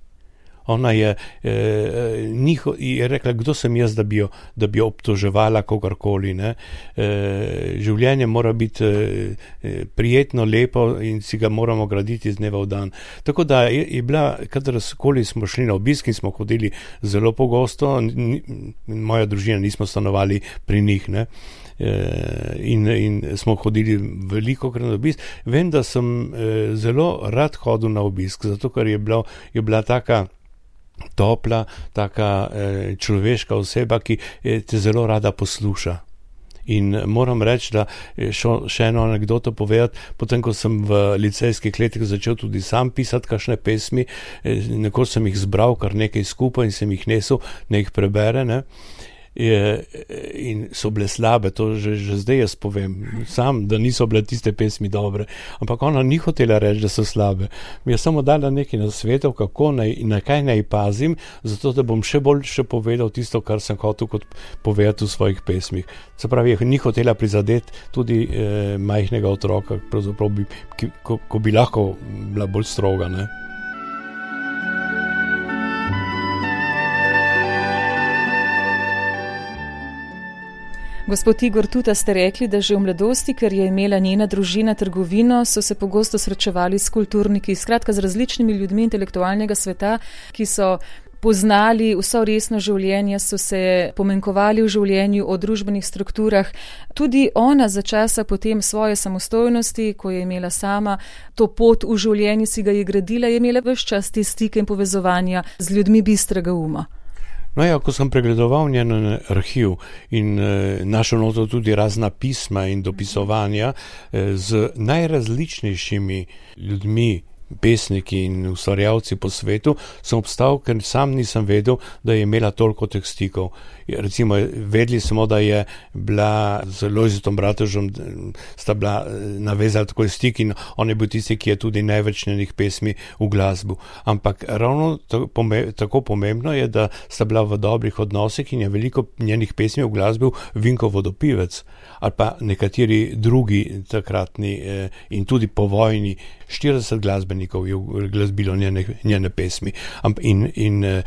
Ona je, eh, njiho, je rekla, kdo sem jaz, da bi jo, da bi jo obtoževala kogarkoli. Ne? Eh, življenje mora biti eh, prijetno, lepo in si ga moramo graditi iz dneva v dan. Tako da je, je bila, kadarkoli smo šli na obisk in smo hodili zelo pogosto, ni, moja družina nismo stanovali pri njih, ne? In, in smo hodili veliko krat na obisk. Vem, da sem eh, zelo rad hodil na obisk, zato ker je bila, je bila taka topla, taka eh, človeška oseba, ki eh, te zelo rada posluša. In moram reči, da šo, še eno anekdoto povedati, potem, ko sem v licejskih letih začel tudi sam pisati kakšne pesmi, eh, nekoč sem jih zbral kar nekaj skupaj in sem jih nesel, ne jih prebere, ne. Je, in so bile slabe, to že, že zdaj jaz povem, sam, da niso bile tiste pesmi dobre, ampak ona ni hotela reči, da so slabe. Mi je samo dala nekaj nasvetov, kako naj, na kaj naj pazim, zato da bom še bolj še povedal tisto, kar sem hotel kot povedati v svojih pesmih. Se pravi, ni hotela prizadeti tudi eh, majhnega otroka, pravzaprav bi, ki, ko, ko bi lahko bila bolj stroga, ne. Gospod Igor Tuta, ste rekli, da že v mladosti, ker je imela njena družina trgovino, so se pogosto srečevali s kulturniki, skratka z različnimi ljudmi intelektualnega sveta, ki so poznali vso resno življenje, so se pomenkovali v življenju o družbenih strukturah. Tudi ona za časa potem svoje samostojnosti, ko je imela sama to pot v življenju, si ga je gradila, je imela ves čas te stike in povezovanja z ljudmi bistrega uma. No ja, ko sem pregledoval njen arhiv in e, našel noto tudi razna pisma in dopisovanja e, z najrazličnejšimi ljudmi, pesniki in ustvarjalci po svetu, sem obstal, ker sam nisem vedel, da je imela toliko teh stikov. Recimo, vedeli smo, da je bila z Lojzetom Bratožem, sta bila navezala tako stik in on je bil tisti, ki je tudi največ njenih pesmi v glasbu. Ampak ravno tako pomembno je, da sta bila v dobrih odnosih in je veliko njenih pesmi v glasbu Vinko Vodopivec ali pa nekateri drugi takratni eh, in tudi povojni štirideset glasbenikov je glasbilo njene, njene pesmi. In, in eh,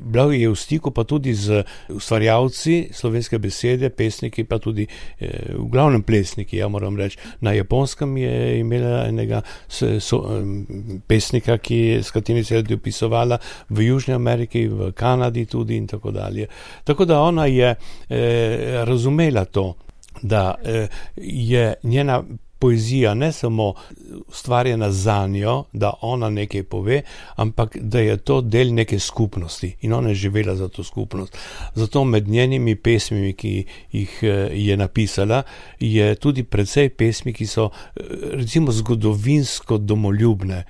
bila je v stiku pa tudi z ustvarjalci slovenske besede, pesniki, pa tudi eh, v glavnem plesniki, ja moram reči. Na Japonskem je imela enega so, so, pesnika, ki, s katerim se je dopisovala, v Južni Ameriki, v Kanadi tudi in tako dalje. Tako da ona je eh, razumela to, da eh, je njena poezija ne samo ustvarjena za njo, da ona nekaj pove, ampak da je to del neke skupnosti in ona je živela za to skupnost. Zato med njenimi pesmimi, ki jih je napisala, je tudi precej pesmi, ki so recimo zgodovinsko domoljubne.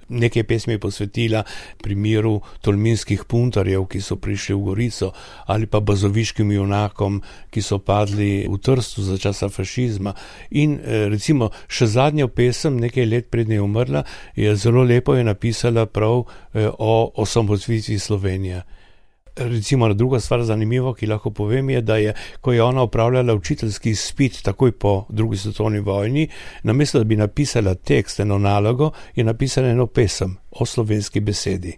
Nekaj pesmi je posvetila primeru tolminskih puntarjev, ki so prišli v Gorico, ali pa bazoviškim junakom, ki so padli v Trstu za časa fašizma. In recimo še zadnjo pesem, nekaj let pred njo umrla, je zelo lepo je napisala prav o osamosvojitvi Slovenije. Recimo druga stvar zanimivo, ki lahko povem, je, da je, ko je ona opravljala učiteljski izpit takoj po drugi svetovni vojni, namesto da bi napisala tekst, eno nalogo, je napisala eno pesem o slovenski besedi.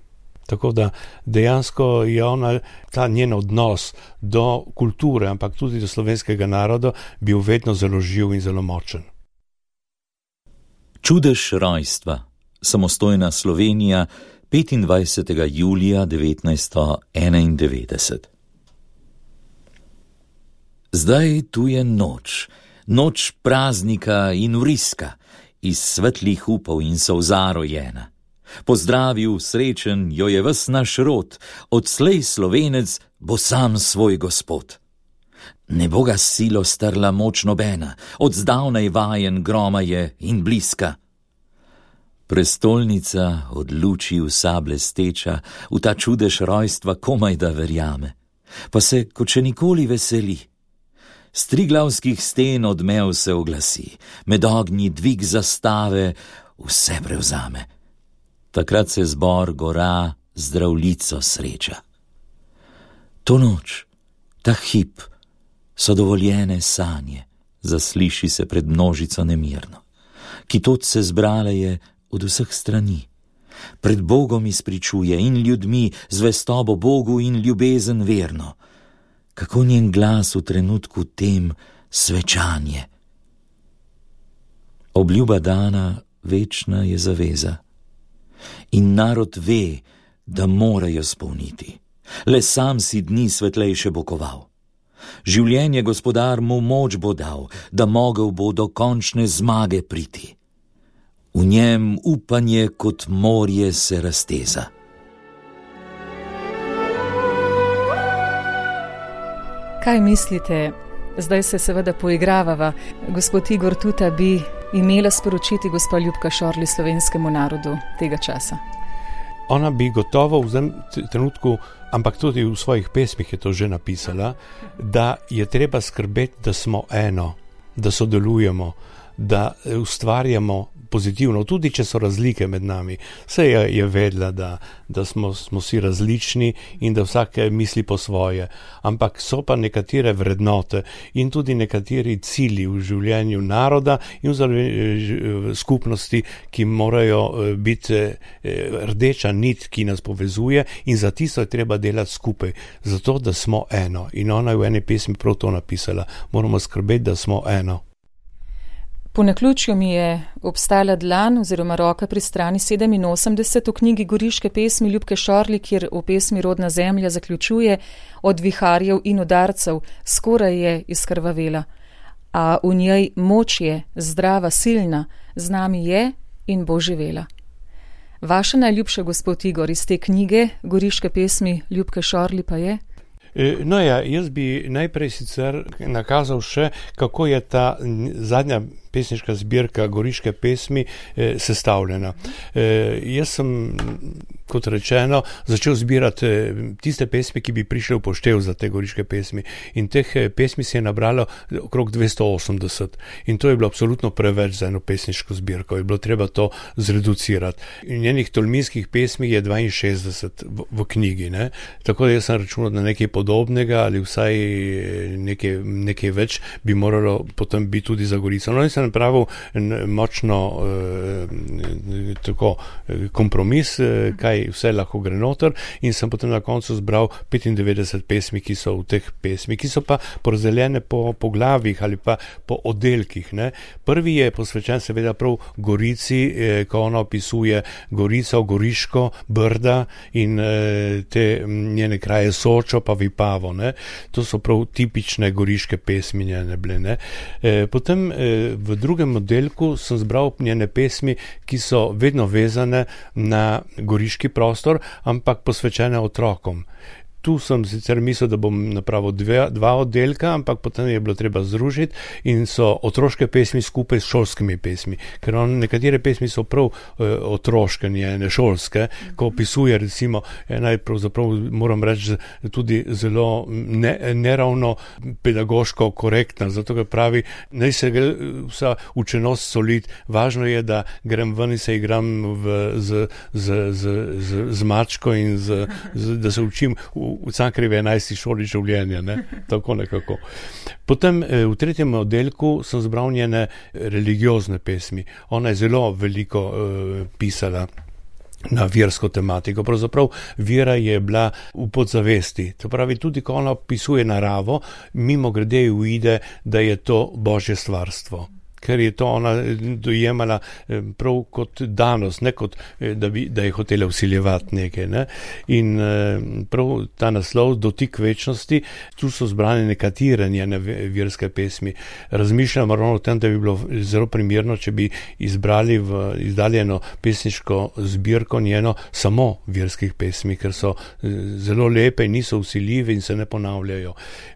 Tako da dejansko je ona, ta njen odnos do kulture, ampak tudi do slovenskega naroda, bil vedno zelo živ in zelo močen. Čudež rojstva, samostojna Slovenija, petindvajsetega julija devetnajststo enaindevetdeset. Zdaj tu je noč, noč praznika in vriska, iz svetlih upov in solza rojena. Pozdravil srečen jo je ves naš rod, odslej Slovenec bo sam svoj gospod. Ne bo ga silo strla moč nobena, od zdavnaj vajen groma je in bliska. Prestolnica od luči vsa blesteča, v ta čudež rojstva komaj da verjame, pa se kot še nikoli veseli. S triglavskih sten odmev se oglasi, med ognji dvig zastave vse prevzame. Takrat se zbor gora zdravljico sreča. To noč, ta hip, so dovoljene sanje, zasliši se pred množico nemirno, ki tod se zbrale je od vseh strani. Pred Bogom izpričuje in ljudmi zvestobo Bogu in ljubezen verno. Kako njen glas v trenutku tem svečanje. Obljuba dana večna je zaveza. In narod ve, da morajo spolniti. Le sam si dni svetlejše bokoval. Življenje gospodar mu moč bo dal, da mogel bo do končne zmage priti. V njem upanje kot morje se razteza. Kaj mislite? Zdaj se seveda poigravava. Gospod Igor Tuta bi imela sporočiti gospa Ljubka Šorli slovenskemu narodu tega časa. Ona bi gotovo v tem trenutku, ampak tudi v svojih pesmih je to že napisala, da je treba skrbeti, da smo eno, da sodelujemo, da ustvarjamo pozitivno, tudi če so razlike med nami. Vse je, je vedela, da, da smo, smo si različni in da vsak misli po svoje. Ampak so pa nekatere vrednote in tudi nekateri cilji v življenju naroda in v skupnosti, ki morajo biti rdeča nit, ki nas povezuje, in za tisto je treba delati skupaj, zato da smo eno. In ona je v eni pesmi prav to napisala. Moramo skrbeti, da smo eno. Po naključju mi je obstala dlan oziroma roka pri strani sedeminosemdeset v knjigi Goriške pesmi Ljubke Šorli, kjer v pesmi Rodna zemlja zaključuje: od viharjev in udarcev skoraj je izkrvavela, a v njej moč je, zdrava, silna, z nami je in bo živela. Vaša najljubša, gospod Igor, iz te knjige Goriške pesmi Ljubke Šorli pa je? No ja, jaz bi najprej sicer nakazal še, kako je ta zadnja pesniška zbirka Goriške pesmi eh, sestavljena. Eh, jaz sem, kot rečeno, začel zbirati tiste pesmi, ki bi prišli v poštev za te Goriške pesmi. In teh pesmi se je nabralo okrog dvesto osemdeset. In to je bilo absolutno preveč za eno pesniško zbirko. Je bilo treba to zreducirati. In njenih tolminskih pesmi je dvainšestdeset v, v knjigi. Ne? Tako da jaz sem računal na nekaj podobnega ali vsaj nekaj, nekaj več bi moralo potem biti tudi za Gorico. No, sem napravil močno eh, tako, kompromis, eh, kaj vse lahko gre noter, in sem potem na koncu zbral petindevetdeset pesmi, ki so v teh pesmi, ki so pa porazdeljene po poglavjih ali pa po oddelkih. Ne. Prvi je posvečen seveda prav Gorici, eh, ko ona opisuje Gorico, Goriško, Brda in eh, te njene kraje Sočo pa Vipavo. Ne. To so prav tipične goriške pesmi njene bile. Ne. Eh, potem eh, v drugem oddelku sem zbral njene pesmi, ki so vedno vezane na goriški prostor, ampak posvečene otrokom. Tu sem sicer mislil, da bom napravil dve, dva oddelka, ampak potem je bilo treba združiti in so otroške pesmi skupaj s šolskimi pesmi. Ker on, nekatere pesmi so prav e, otroške, ne šolske, ko opisuje recimo, ena je pravzaprav, moram reči, tudi zelo ne, neravno pedagoško korektna, zato ker pravi, naj se gre vsa učenost soliti, važno je, da grem ven in se igram v, z, z, z, z, z mačko in z, z, da se učim v v Cankarjevi enajsti šoli življenja, ne? Tako nekako. Potem v tretjem oddelku sem zbral njene religiozne pesmi. Ona je zelo veliko uh, pisala na versko tematiko. Pravzaprav vera je bila v podzavesti. To pravi, tudi ko ona opisuje naravo, mimo grede uide, da je to Božje stvarstvo. Ker je to ona dojemala prav kot danost, ne kot da, bi, da je hotela vsiljevati nekaj. Ne? In prav ta naslov, Dotik večnosti, tu so zbrane nekatere njene verske pesmi. Razmišljam ravno o tem, da bi bilo zelo primerno, če bi izbrali v izdaljeno pesniško zbirko njeno samo verskih pesmi, ker so zelo lepe in niso vsiljive in se ne ponavljajo.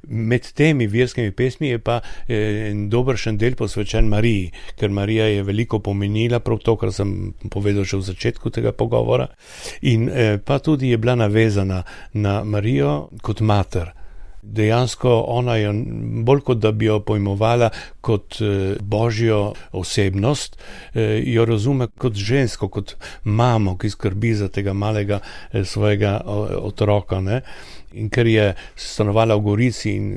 Med temi verskimi pesmi je pa en dobršen del posvečen Mariji, ker Marija je veliko pomenila, prav to, kar sem povedal že v začetku tega pogovora, in eh, pa tudi je bila navezana na Marijo kot mater. Dejansko ona je bolj kot da bi jo pojmovala kot eh, božjo osebnost, eh, jo razume kot žensko, kot mamo, ki skrbi za tega malega eh, svojega otroka, ne? In ker je stanovala v Gorici in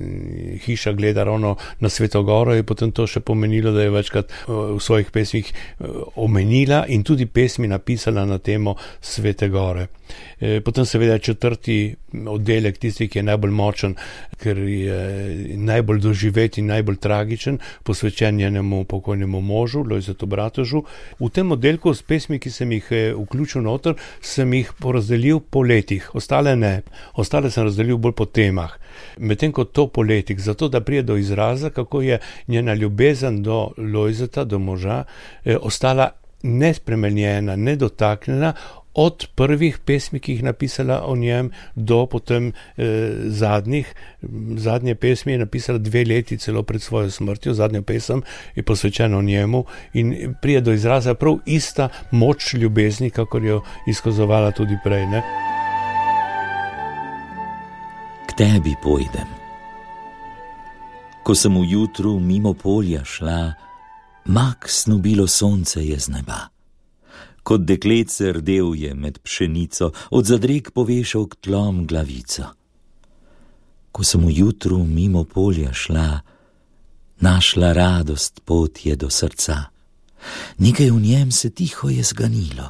hiša gleda ravno na Sveto Goro, je potem to še pomenilo, da je večkrat v svojih pesmih omenila in tudi pesmi napisala na temo Svete Gore. Potem seveda četrti oddelek, tisti, ki je najbolj močen, ker je najbolj doživet in najbolj tragičen, posvečen njenemu pokojnemu možu, Lojzetu Bratožu. V tem oddelku s pesmi, ki sem jih vključil noter, sem jih porazdelil po letih, ostale ne. Ostale sem razdelil bolj po temah. Medtem kot to po letih, zato da prije do izraza, kako je njena ljubezen do Lojzeta, do moža, eh, ostala nespremenjena, nedotaknjena, od prvih pesmi, ki jih napisala o njem, do potem eh, zadnjih. Zadnje pesmi je napisala dve leti celo pred svojo smrtjo, zadnja pesem je posvečena o njemu in prije do izraza prav ista moč ljubezni, kakor jo izkazovala tudi prej, ne? K tebi pojdem. Ko sem v jutru mimo polja šla, mak snubilo sonce je z neba. Kot dekletce rdel je med pšenico, od zadreg povešal k tlom glavico. Ko sem v jutru mimo polja šla, našla radost pot je do srca. Nekaj v njem se tiho je zganilo,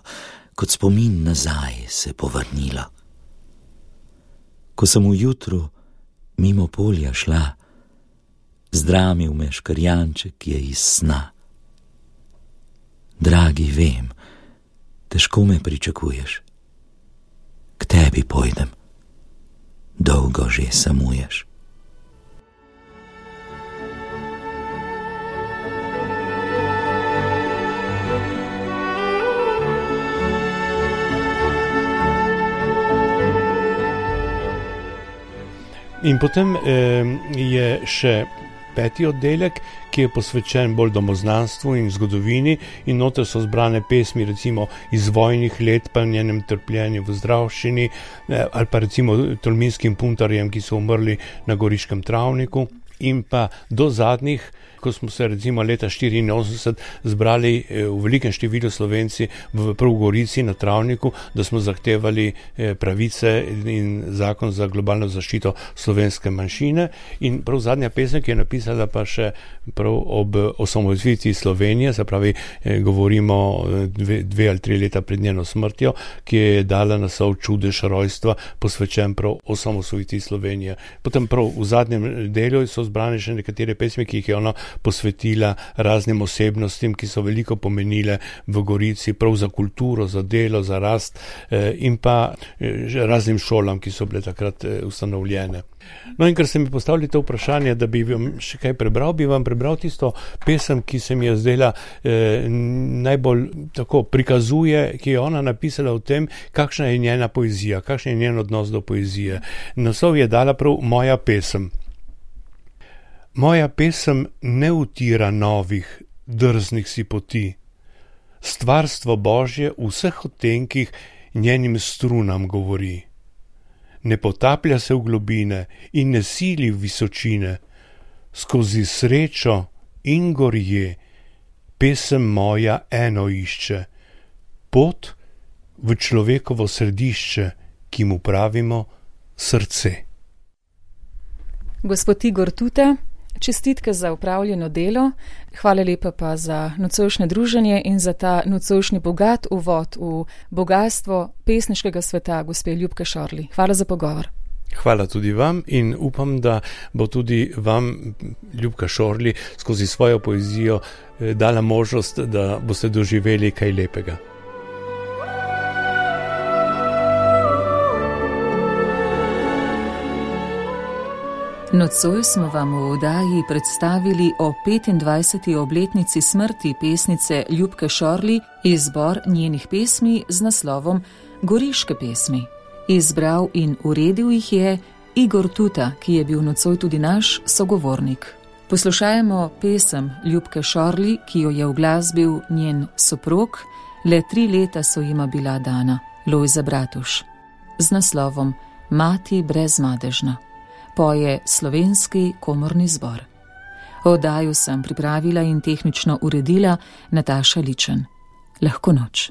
kot spomin nazaj se povrnilo. Ko sem v jutru mimo polja šla, zdramil me škrjanček je iz sna. Dragi, vem, težko me pričakuješ. K tebi pojdem, dolgo že samuješ. In potem eh, je še peti oddelek, ki je posvečen bolj domoznanstvu in zgodovini, in noter so zbrane pesmi recimo iz vojnih let, pa njenem trpljenju v zdravščini, eh, ali pa recimo tolminskim puntarjem, ki so umrli na Goriškem travniku, in pa do zadnjih, ko smo se recimo leta štiriinosemdeset zbrali v velikem številu Slovenci v prav Gorici na travniku, da smo zahtevali pravice in zakon za globalno zaščito slovenske manjšine. In prav zadnja pesem, ki je napisala pa še prav ob osamosvojitvi Slovenije, se pravi, govorimo dve, dve ali tri leta pred njeno smrtjo, ki je dala naslov Čudež rojstva, posvečen prav osamosvojitvi Slovenije. Potem prav v zadnjem delu so zbrane še nekatere pesmi, ki jih je ona posvetila raznim osebnostim, ki so veliko pomenile v Gorici, prav za kulturo, za delo, za rast eh, in pa eh, raznim šolam, ki so bile takrat eh, ustanovljene. No in ker ste mi postavili to vprašanje, da bi vam še kaj prebral, bi vam prebral tisto pesem, ki se mi je zdela eh, najbolj tako prikazuje, ki je ona napisala o tem, kakšna je njena poezija, kakšen je njen odnos do poezije. Naslov je dala prav Moja pesem. Moja pesem ne utira novih, drznih si poti. Stvarstvo Božje v vseh odtenkih njenim strunam govori. Ne potaplja se v globine in ne sili v visočine. Skozi srečo in gorje pesem moja eno išče. Pot v človekovo središče, ki mu pravimo srce. Gospod Igor Tuta, čestitke za upravljeno delo, hvala lepa pa za nocojšnje druženje in za ta nocojšnji bogat uvod v bogatstvo pesniškega sveta gospe Ljubke Šorli. Hvala za pogovor. Hvala tudi vam in upam, da bo tudi vam Ljubka Šorli skozi svojo poezijo dala možnost, da boste doživeli kaj lepega. Nocoj smo vam v oddaji predstavili o petindvajseti obletnici smrti pesnice Ljubke Šorli izbor njenih pesmi z naslovom Goriške pesmi. Izbral in uredil jih je Igor Tuta, ki je bil nocoj tudi naš sogovornik. Poslušajmo pesem Ljubke Šorli, ki jo je uglasbil njen soprog, le tri leta so jima bila dana, Lojze Bratuš, z naslovom Mati brezmadežna. Poje Slovenski komorni zbor. Oddajo sem pripravila in tehnično uredila Nataša Ličen. Lahko noč.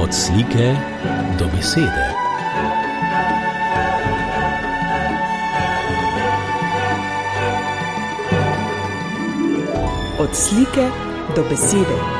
Od slike do besede. Od slike do besede.